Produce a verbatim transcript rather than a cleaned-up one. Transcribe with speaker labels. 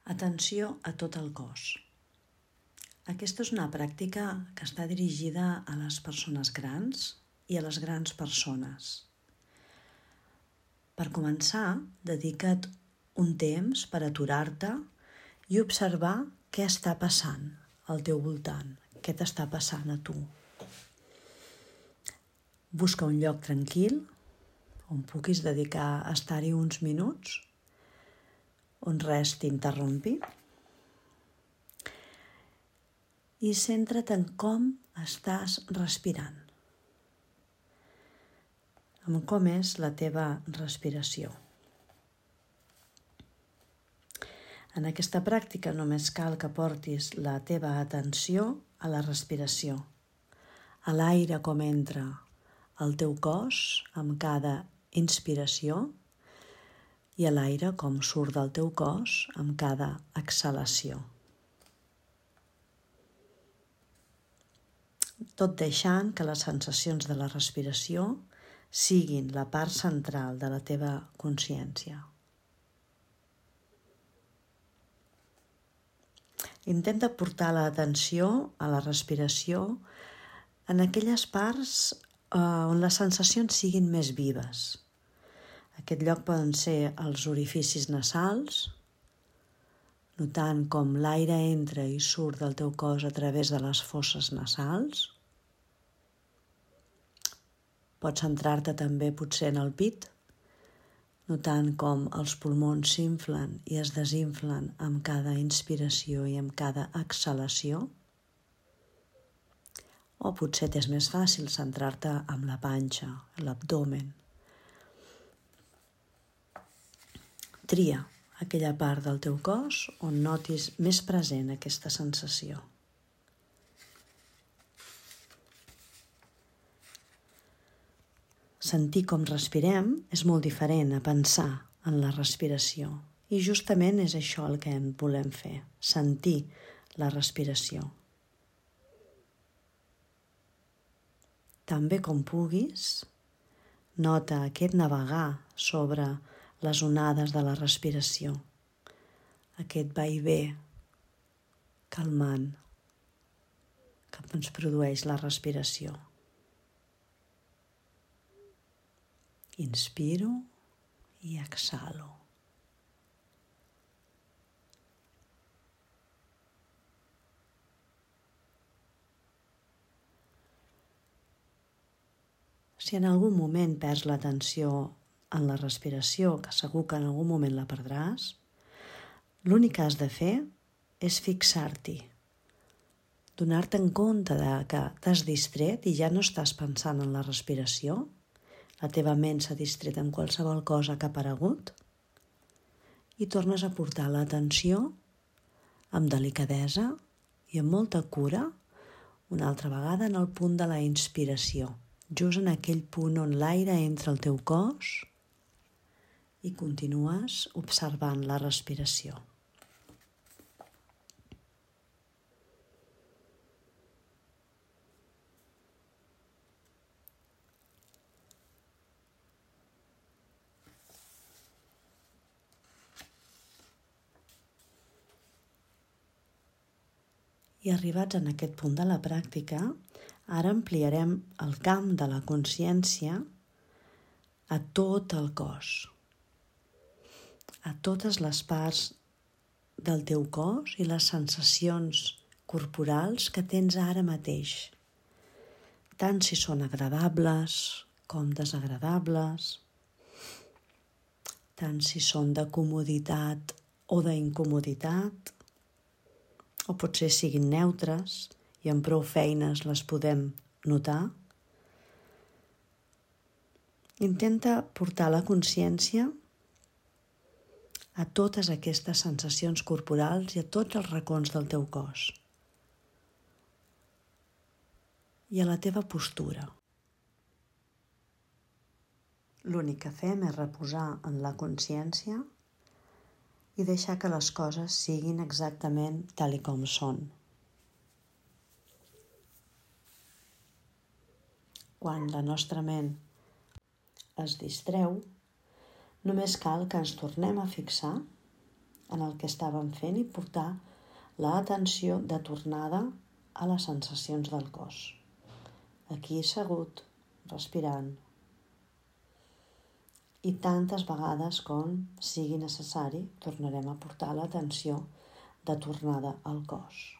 Speaker 1: Atenció a tot el cos. Aquesta és una pràctica que està dirigida a les persones grans i a les grans persones. Per començar, dedica't un temps per aturar-te i observar què està passant al teu voltant, què t'està passant a tu. Busca un lloc tranquil on puguis dedicar a estar-hi uns minuts, on res t'interrompi, i centra't en com estàs respirant, en com és la teva respiració. En aquesta pràctica només cal que portis la teva atenció a la respiració, a l'aire com entra al teu cos amb cada inspiració i a l'aire com surt del teu cos amb cada exhalació. Tot deixant que les sensacions de la respiració siguin la part central de la teva consciència. Intenta portar l'atenció a la respiració en aquelles parts eh, on les sensacions siguin més vives. Aquest lloc poden ser els orificis nasals, notant com l'aire entra i surt del teu cos a través de les fosses nasals. Pots centrar-te també potser en el pit, notant com els pulmons s'inflen i es desinflen amb cada inspiració i amb cada exhalació. O potser t'és més fàcil centrar-te en la panxa, l'abdomen. Tria aquella part del teu cos on notis més present aquesta sensació. Sentir com respirem és molt diferent a pensar en la respiració i justament és això el que en volem fer, sentir la respiració. També com puguis, nota aquest navegar sobre les onades de la respiració, aquest vaivé calmant que ens produeix la respiració. Inspiro i exhalo. Si en algun moment perds l'atenció en la respiració, que segur que en algun moment la perdràs, l'únic que has de fer és fixar-t'hi, donar-te en compte de que t'has distret i ja no estàs pensant en la respiració, la teva ment s'ha distret en qualsevol cosa que ha aparegut, i tornes a portar l'atenció amb delicadesa i amb molta cura una altra vegada en el punt de la inspiració, just en aquell punt on l'aire entra al teu cos i continues observant la respiració. I arribats en aquest punt de la pràctica, ara ampliarem el camp de la consciència a tot el cos, a totes les parts del teu cos i les sensacions corporals que tens ara mateix, tant si són agradables com desagradables, tant si són de comoditat o d'incomoditat, o potser siguin neutres i amb prou feines les podem notar. Intenta portar la consciència a totes aquestes sensacions corporals i a tots els racons del teu cos i a la teva postura. L'únic que fem és reposar en la consciència i deixar que les coses siguin exactament tal i com són. Quan la nostra ment es distreu, només cal que ens tornem a fixar en el que estàvem fent i portar l'atenció de tornada a les sensacions del cos. Aquí assegut, respirant. I tantes vegades com sigui necessari tornarem a portar l'atenció de tornada al cos.